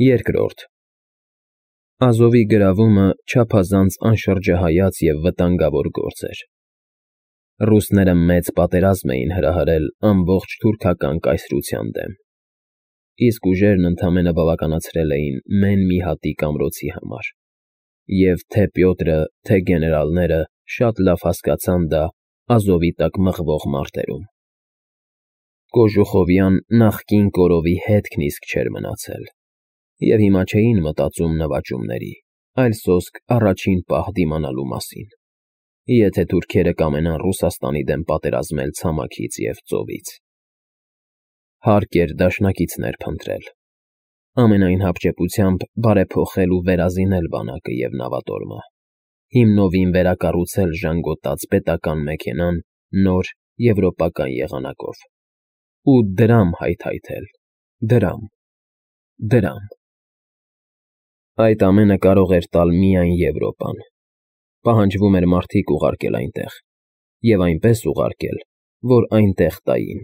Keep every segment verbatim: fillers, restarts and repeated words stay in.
Երկրորդ Ազովի գրավումը չափազանց անշրջահայաց և վտանգավոր գործ էր։ Ռուսները մեծ պատերազմ էին հրահրել ամբողջ թուրքական կայսրության դեմ, իսկ ուժերն ընդամենը բավականացրել էին մեն մի հատիկ ամրոցի համար, և թե Պյոտրը, թե գեներալները շատ լավ հասկացան դա Ազովի տակ մղվող մարտերում։ Կոժուխովյան նախկին կորովի հետքն իսկ չէր մնացել, և հիմա չէին մտածում նվաճումների, այլ սոսկ առաջին պահ դիմանալու մասին, եթե թուրքերը կամենան Ռուսաստանի դեմ պատերազմել ցամաքից և ծովից։ Հարկ էր դաշնակիցներ փնտրել, ամենայն հապճեպությամբ բարեփոխել ու վերազինել բանակը և նավատորմը, հիմնովին վերակառուցել ժանգոտած պետական մեքենան նոր եվրոպական եղանակով ու դրամ հայթայթել, դրամ, դրամ… Այդ ամենը կարող էր տալ միայն Եվրոպան, պահանջվում էր մարդիկ ուղարկել այնտեղ և այնպես ուղարկել, որ այնտեղ տային։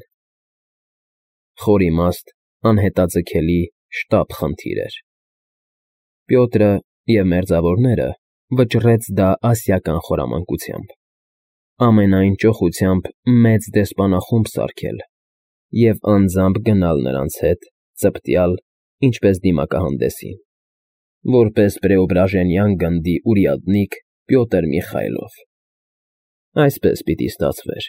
Խորիմաստ, անհետաձգելի շտապ խնդիր էր։ Պյոտրը և մերձավորները վճռեց դա ասիական խորամանկությամբ, ամենայն ճոխությամբ մեծ դեսպանախումբ սարքել և անձամբ գնալ նրանց հետ ծպտյալ, ինչպես դիմակահանդեսին, որպես Պրեոբրաժենյան գնդի урядник Պյոտր Միխայլով։ Այսպես պիտի ստացվեր.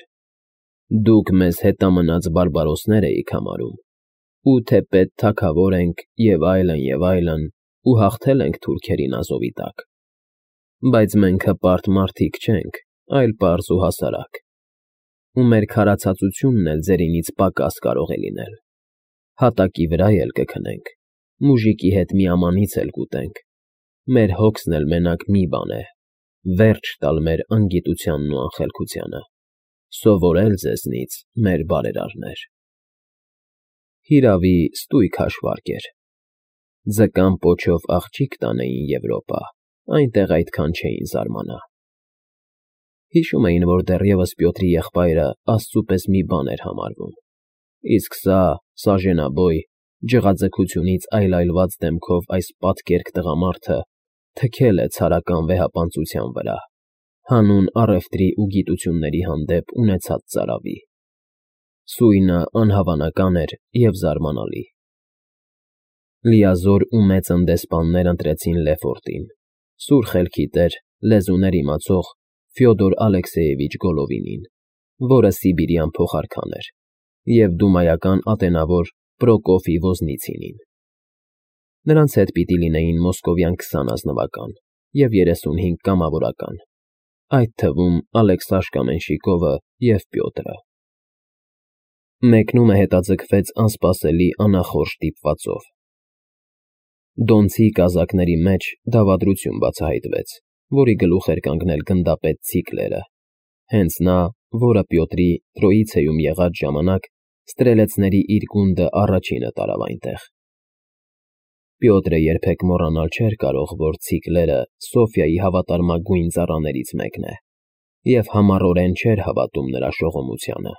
դուք մեզ հետամնաց բարբարոսներ էիք համարում, ու թեպետ թագավոր ենք և այլն, և այլն, ու հաղթել ենք թուրքերին Ազովի տակ, բայց մենք հպարտ մարդիկ չենք, այլ պարզ ու հասարակ, ու մեր քարացածությունն էլ ձերինից պակաս կարող է լինել, հատակի վրա էլ կքնենք, մուժիկի հետ միամանից էլ կուտենք, մեր հոգսն էլ մենակ մի բան է՝ վերջ տալ մեր անգիտությանն ու անխելքությանը, սովորել ձեզնից, մեր բարերարներ… Հիրավի, ստույգ հաշվարկ էր. ձկան պոչով աղջիկ տանեին Եվրոպա, այնտեղ այդքան չէին զարմանա։ Հիշում էին, որ դեռևս Պյոտրի եղբայրը աստծու պես մի բան էր համարվում, իսկ սա՝ սաժենաբոյ, ջղաձգությունից այլայլված դեմքով այս պատկերք տղամարդը թքել է ցարական վեհապանծության վրա, հանուն առևտրի ու գիտությունների հանդեպ ունեցած ծարավի։ Սույնը անհավանական էր և զարմանալի։ Լիազոր ու մեծն դեսպաններ ընտրեցին Լեֆորտին, սուր խելքի տեր, լեզուներ իմացող Ֆյոդոր Ալեքսեևիչ Գոլովինին, որը Սիբիրյան փոխարքան էր, և դումայական ատենավոր Պրոկոֆի Ոզնիցինին։ Նրանց հետ պիտի լինեին մոսկովյան քսան ազնվական և երեսունհինգ կամավորական, այդ թվում Ալեքսաշկա Մենշիկովը և Պյոտրը։ Մեկնումը հետաձգվեց անսպասելի անախորժ ստիպվածով։ Դոնցի կազակների մեջ դավադրություն բացահայտվեց, որի գլուխ էր կանգնել գնդապետ Ցիկլերը, հենց նա, որը Պյոտրի Տրոիցեում եղած ժամանակ ստրելեցների իր գունդը առաջինը տարավ այնտեղ։ Պյոտրը երբեք մոռանալ չէր կարող, որ Ցիկլերը Սոֆիայի հավատարմագույն ծառաներից մեկն է և համառորեն չէր հավատում նրա շողոմությանը։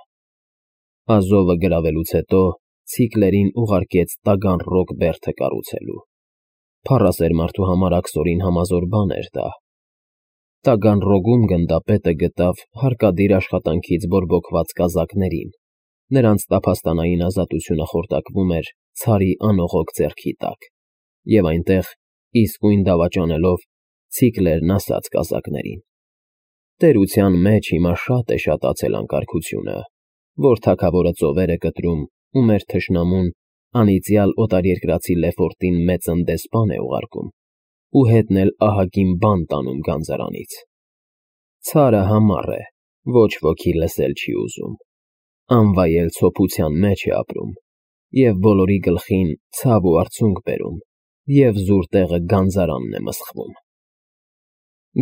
Ազովը գրավելուց հետո Ցիկլերին ուղարկեց Տագանռոգ բերդը կառուցելու։ Փառասեր մարդու համար աքսորին համազոր բան էր դա։ Տագանռոգում գնդապետը գտավ հարկադիր աշխատանքից բորբոքված կազակներին, նրանց տափաստանային ազատությունը խորտակվում էր ցարի անողոք ձեռքի տակ, և այնտեղ, իսկույն դավաճանելով, Ցիկլերն ասաց կազակներին. «Տերության մեջ հիմա շատ է շատացել անկարգությունը, որ թագավորը ծովեր է կտրում ու մեր թշնամուն անիծյալ օտարերկրացի Լեֆորտին մեծն դեսպան է ուղարկում ու հետն էլ ահագին բան տանում գանձարանից։ Ցարը համառ է, ոչ ոքի լսել չի ուզում, անվայել ցոփության մեջ է ապրում և բոլորի գլխին ցավ ու արցունք բերում, և զուր տեղը գանձարանն է մսխվում։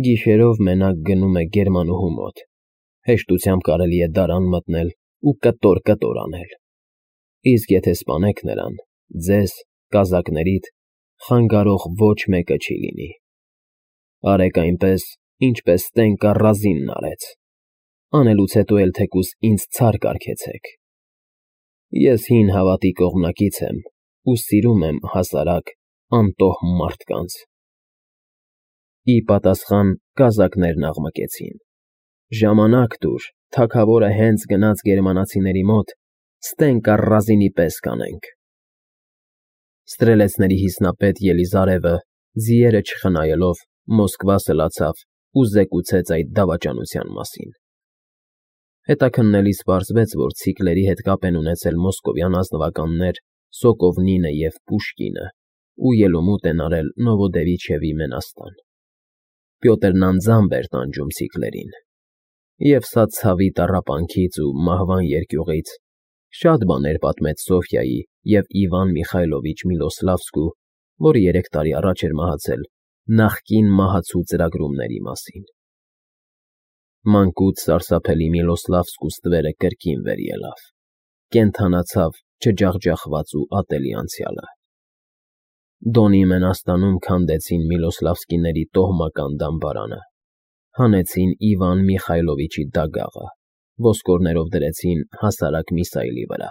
Գիշերով մենակ գնում է գերմանուհու մոտ, հեշտությամբ կարելի է դարան մտնել ու կտոր֊կտոր անել, իսկ եթե սպանեք նրան, ձեզ, կազակներիդ, խանգարող ոչ մեկը չի լինի։ Արեք այնպես, ինչպես Տենկա Ռազինն արեց, անելուց հետո էլ թեկուզ ինձ ցար կարգեցեք։ Ես հին հավատի կողմնակից եմ ու սիրում եմ հասարակ, անտոհ մարդկանց։ Ի պատասխան կազակներն աղմկեցին. «Ժամանակ տուր, թագավորը հենց գնաց գերմանացիների մոտ, ստենք առազինի պես կանենք»։ Ստրելեցների հիմնապետ Ելիզարևը, ձիերը չխնայելով, Մոսկվա սլացավ ու զեկուցեց այդ դավաճանության մասին։ Հետաքննելիս պարզվեց, որ ցիկլերի հետ կապ են ունեցել մոսկովյան ազնվականներ Սոկովնինը և Պուշկինը ու ելումուտ են արել Նովոդևիչևի Մենաստան։ Պյոտրն անձամբ էր տանջում ցիկլերին, և սա ցավի տառապանքից ու մահվան երկյուղից շատ բաներ պատմեց Սոֆյայի և Իվան Միխայլովիչ Միլոսլավսկու, որը երեք տարի առաջ էր մահացել, նախկին մահացու ծրագրումների մասին։ Մանկուց սարսափելի Միլոսլավսկու ստվերը կրկին վեր ելավ, կենդանացավ չջախջախված ու ատելի անցյալը։ Դոնի Մենաստանում քանդեցին Միլոսլավսկիների տոհմական դամբարանը, հանեցին Իվան Միխայլովիչի դագաղը, ոսկորներով դրեցին հասարակ Միսայելի վրա,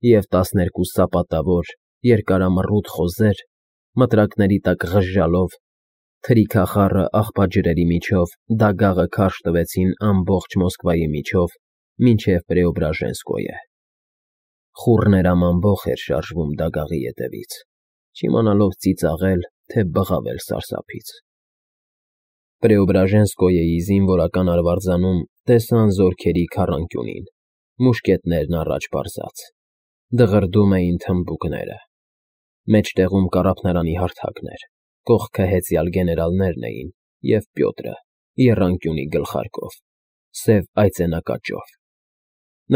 և տասներկու սապատավոր, երկարամռութ խոզեր, մտրակների տակ ղժժալով, թրիքախառը աղբաջրերի միջով դագաղը քարշ տվեցին ամբողջ Մոսկվայի միջով մինչև Պրեոբրաժենսկոյը։ Խուռներ ամամբոխ էր շարժվում դագաղի ետևից, չիմանալով ծիծաղել, թե բղավել սարսափից։ Պրեոբրաժենսկոյեի զինվորական արվարձանում տեսան զորքերի քառանկյունին, մուշկետներն առաջ պարզած, դղրդում էին թմբուկները։ Մեջտեղում կառափնարանի հարթակն էր, կողքը հեծյալ գեներալներն էին և Պյոտրը եռանկյունի գլխարկով, սև այծենակաճով։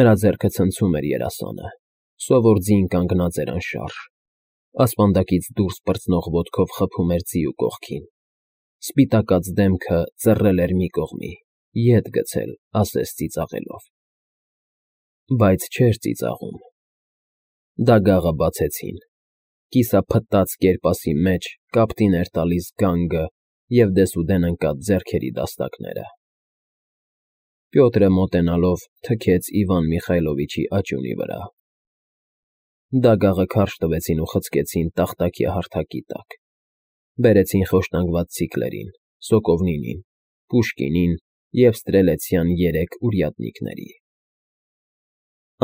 Նրա ձեռքը ցնցում էր երասանը, սովոր ձին կանգնած էր անշարժ, ասպանդակից դուրս պրծնող ոտքով խփում էր ձիու կողքին, սպիտակած դեմքը ծռել էր մի կողմի, ետ գցել, ասես ծիծաղելով։ Բայց չէր ծիծաղում։ Դագաղը բացեցին, կիսափտած կերպասի մեջ կապտին էր տալիս գանգը և դեսուդեն ընկած ձեռքերի դաստակները։ Պյոտրը մոտենալով թքեց Իվան Միխայլովիչի աճյունի վրա։ Դագաղը քարշ տվեցին ու խցկեցին տախտակի հարթակի տակ, բերեցին խոշտանգված ցիկլերին, Սոկովնինին, Պուշկինին և ստրելեցյան երեք ուրյատնիկների։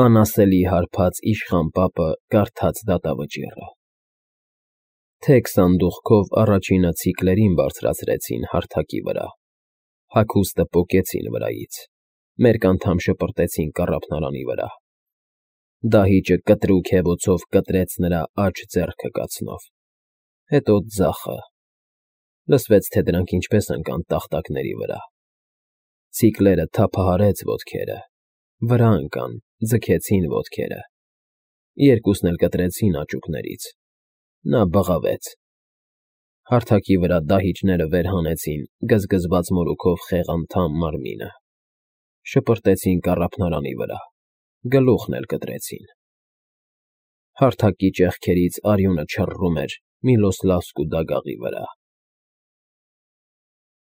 Անասելի հարբած իշխան պապը կարդաց դատավճիռը։ Թեք սանդուղքով առաջինը ցիկլերին բարձրացրեցին հարթակի վրա, հագուստը պոկեցին վրայից, մերկ անդամ շպրտեցին կառափնարանի վրա։ Դահիճը կտրուկ հևոցով կտրեց նրա աջ ձեռքը կացնով, հետո ձախը, լսվեց, թե դրանք ինչպես ընկան տախտակների վրա։ Ցիկլերը թափահարեց ոտքերը, վրա ընկան, ձգեցին ոտքերը, երկուսն էլ կտրեցին աճուկներից։ Նա բղավեց։ Հարթակի վրա դահիճները վեր հանեցին գզգզված մորուքով խեղանդամ մարմինը, շպրտեցին կառափնարանի վրա, գլուխն էլ կտրեցին։ Հարթակի ճեղքերից արյունը չռռում էր Միլոսլավսկու դագաղի վրա։